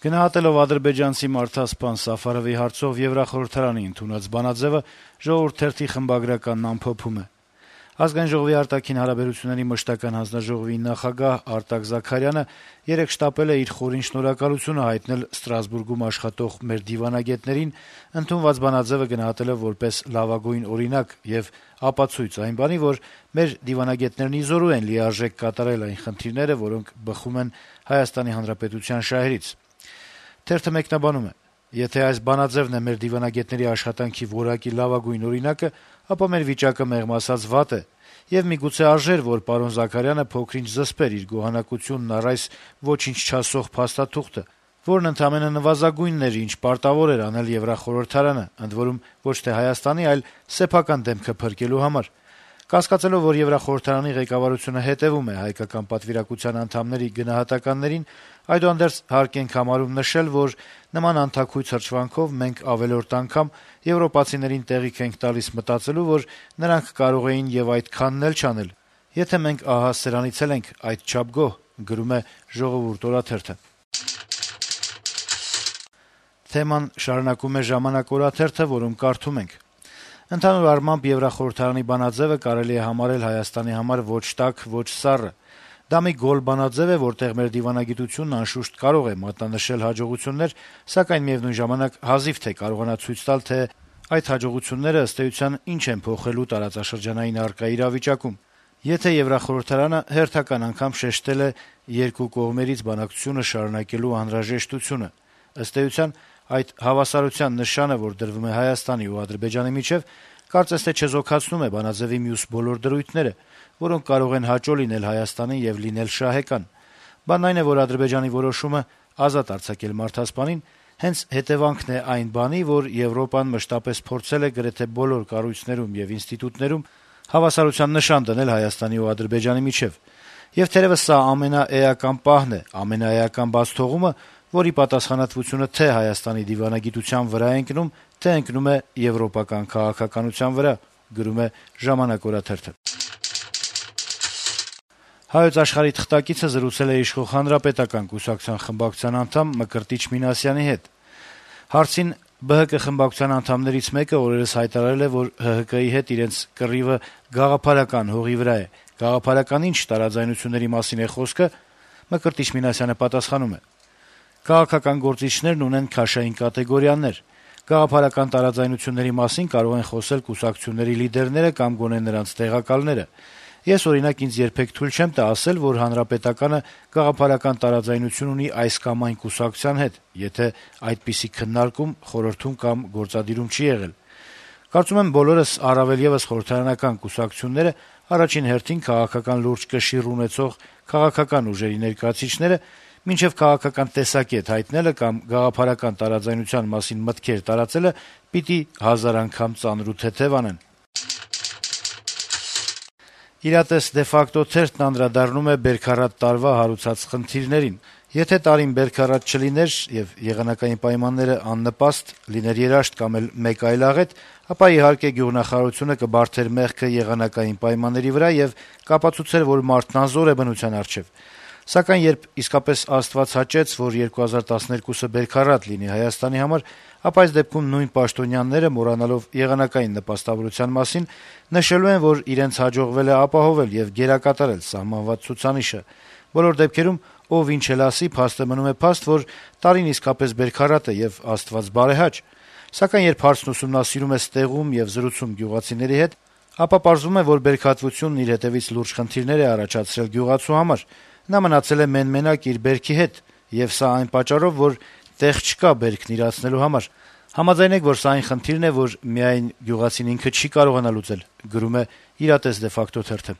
Գնահատելով ադրբեջանցի մարդասպան Սաֆարովի հարցով Եվրախորհրդարանի ընդունած բանաձեւը, Ժողովուրդ թերթի խմբագրականն ամփոփում է. Ազգային ժողովի արտաքին հարաբերությունների մշտական հանձնաժողովի նախագահ Արտակ Զաքարյանը երեկ շտապել է իր խորին շնորհակալությունը հայտնել Ստրասբուրգում աշխատող մեր դիվանագետներին, ընդունված բանաձեւը գնահատելով որպես լավագույն օրինակ եւ ապացույց այն բանի, որ մեր դիվանագետներն իզորու են լիարժեք կատարել այն խնդիրները, որոնք բխում են Հայաստանի Հանրապետության շահերից։ Թերթը մեկնաբանում է. Եթե այս բանաձևն է մեր դիվանագետների աշխատանքի որակի լավագույն օրինակը, ապա մեր վիճակը մեղմ ասած վատ է, եւ միգուցե արժեր, որ պարոն Զաքարյանը փոքր-ինչ զսպեր իր գոհանակությունն առ այս ոչինչ չասող փաստաթուղթը, որն ընդամենը նվազագույնն էր, ինչ պարտավոր էր անել Եվրախորհրդարանը, ընդ որում ոչ թե Հայաստանի, այլ սեփական դեմքը փրկելու համար։ Կասկածելով, որ Եվրախորհրդարանի ղեկավարությունը հետեւում է հայկական պատվիրակության անդամների գնահատականներին, այդուհանդերձ հարկ ենք համարում նշել, որ նման անթաքույց հրճվանքով մենք ավելորդ անգամ եվրոպացիներին տեղիք ենք տալիս մտածելու, որ նրանք կարող էին եւ այդքանն էլ չանել, եթե մենք ահա սրանից էլ ենք այդչափ գոհ, գրում է Ժողովուրդ օրաթերթը։ Թեման շարունակում է Ժամանակ օրաթերթը, որում կարդում ենք. Ընդհանուր առմամբ Եվրախորհրդարանի բանաձևը կարելի է համարել Հայաստանի համար ոչ տաք, ոչ սառը։ Դա մի գոլ բանաձև է, որտեղ մեր դիվանագիտությունն անշուշտ կարող է մատնանշել հաջողություններ, սակայն միևնույն ժամանակ հազիվ թե կարողանա ցույց տալ, թե այդ հաջողությունները ըստ էության ինչ են փոխելու տարածաշրջանային առկա իրավիճակում։ Եթե Եվրախորհրդարանը հերթական անգամ շեշտել է երկու կողմերից բանակցությունը շարունակելու անհրաժեշտությունը, ըստ էության այդ հավասարության նշանը, որ դրվում է Հայաստանի ու Ադրբեջանի միջև, կարծես թե չեզոքացնում է բանաձևի մյուս բոլոր դրույթները, որոնք կարող են հաճո լինել Հայաստանին եւ լինել շահեկան։ Բանն այն է, որ Ադրբեջանի որոշումը ազատ արձակել մարդասպանին հենց հետևանքն է այն բանի, որ Եվրոպան մշտապես փորձել է գրեթե բոլոր կառույցներում եւ ինստիտուտներում հավասարության նշան դնել Հայաստանի ու Ադրբեջանի միջև։ Եվ թերևս սա ամենաէական պահն է, ամենաէական բացթողումը, որի պատասխանատվությունը թե Հայաստանի դիվանագիտության վրա է ընկնում, թե ընկնում է եվրոպական քաղաքականության վրա, գրում է Ժամանակ օրաթերթը։ Հայոց աշխարհի թղթակիցը զրուցել է իշխող Հանրապետական կուսակցության խմբակցության անդամ Մկրտիչ Մինասյանի հետ։ Հարցին ԲՀԿ խմբակցության անդամներից մեկը օրերս հայտարարել է, որ ՀՀԿ-ի հետ իրենց կռիվը գաղափարական հողի վրա է։ Գաղափարական ինչ տարաձայնությունների մասին է խոսքը, Մկրտիչ Մինասյանը պատասխանում է. Քաղաքական գործիչներն ունեն քաշային կատեգորիաներ։ Գաղափարական տարաձայնությունների մասին կարող են խոսել կուսակցությունների լիդերները կամ գոնե նրանց տեղակալները։ Ես, օրինակ, ինձ երբեք թույլ չեմ տա ասել, որ Հանրապետականը գաղափարական տարաձայնություն ունի այս կամ այն կուսակցության հետ, եթե այդպիսի քննարկում խորհրդում կամ գործադիրում չի եղել։ Կարծում եմ բոլորս, առավել ևս խորհրդարանական կուսակցությունները, առաջին հերթին քաղաքական լուրջ կշիռ ունեցող քաղաքական ուժերի ներկայացուցիչները մինչև քաղաքական տեսակետ հայտնելը կամ գաղափարական տարաձայնության մասին մտքեր տարածելը պիտի 1000 անգամ ծանր ու թեթև անեն։ Իրատես դե ֆակտո թերթն անդրադառնում է Բերքարատ տարվա հարուցած խնդիրներին։ Եթե տարին Բերքարատ չլիներ եւ եղանակային պայմանները աննպաստ, լիներ երաշտ կամ էլ մեկ այլ աղետ, ապա իհարկե գյուղնախարարությունը կբարթեր մեղքը եղանակային պայմանների վրա եւ կապացուցեր, որ մարդն անզոր է բնության առջեւ։ Սակայն երբ իսկապես Աստված հաճեց, որ 2012-ը Բերքարատ լինի Հայաստանի համար, ապա այս դեպքում նույն պաշտոնյաները, մոռանալով եղանակային նպաստավորության մասին, նշելու են, որ իրենց հաջողվել է ապահովել եւ գերակատարել սահմանված ցուցանիշը։ Բոլոր դեպքերում ով ինչ էլ ասի, փաստը մնում է փաստ, որ տարին իսկապես Բերքարատ է եւ Աստված բարեհաճ։ Սակայն երբ հարցն ուսումնասիրում է ստեղում եւ զրուցում գյուղացիների հետ, ապա պարզվում է, որ բերքատվությունն իր հետևից լուրջ խնդիրներ է առաջացրել գյուղացու համար։ Նա մնացել է մեն-մենակ իր բերքի հետ, եւ սա այն պատճառով, որ տեղ չկա բերքն իրացնելու համար։ Համաձայնեք, որ սա այն խնդիրն է, որ միայն գյուղացին ինքը չի կարողանա լուծել, գրում է Իրատես դե ֆակտո թերթը։